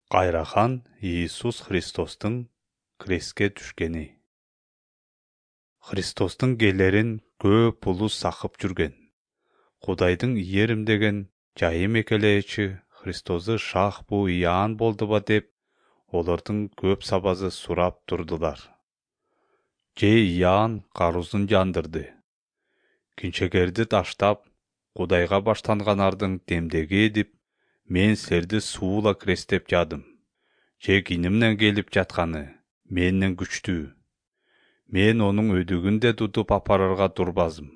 Кайрахан Иисус Христостун крестке түшкени. Христостун келерин көп улус сакып жүрген. Кудайдын ийерим деген жайым экелечи Христосту шах бу Иоанн болдуба деп, олордун көп сабазы сурап турдулар. Же Иоанн карузун жандырды. Кинчегерди таштап, Кудайга баштанганардын демдеги эдип, мен силерди суула крестеп жадым. Же кинимден келип жатканы менден күчтүү. Мен онун өдүгүн да тутуп апарарга турбазым.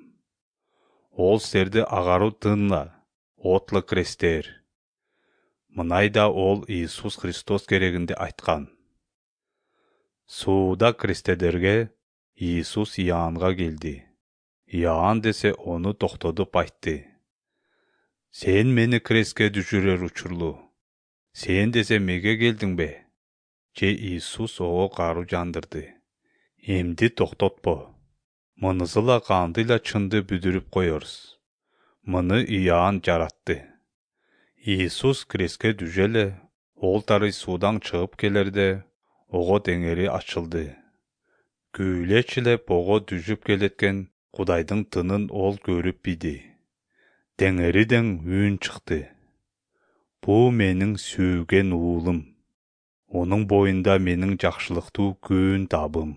Ол силерди агаруу тынла, отла крестер. Мынайда ол Иисус Христос керегинде айткан. Сууда крестедерге Иисус Иоаннга келди. Иоанн десе ону токтотуп айтты. Сен мени крестке düşүрөр учурлу. Сен десе меге келдиңбе? Же Иисус ого кару жандырды. Эмди токтотпо. Мынысыла кандыйла чынды бүдүрүп коерсуз. Мыны Иоанн жаратты. Иисус крестке düşө эле, ол тары суудан чыгып келерде, ого деңери ачылды. Күүлечилеп ого düşүп келеткен Кудайдын тынын ол көрүп биди. Деңериден үн чыкты. Бу менин сүйгөн уулум. Онун боюнда менин жакшылыктуу күн табым.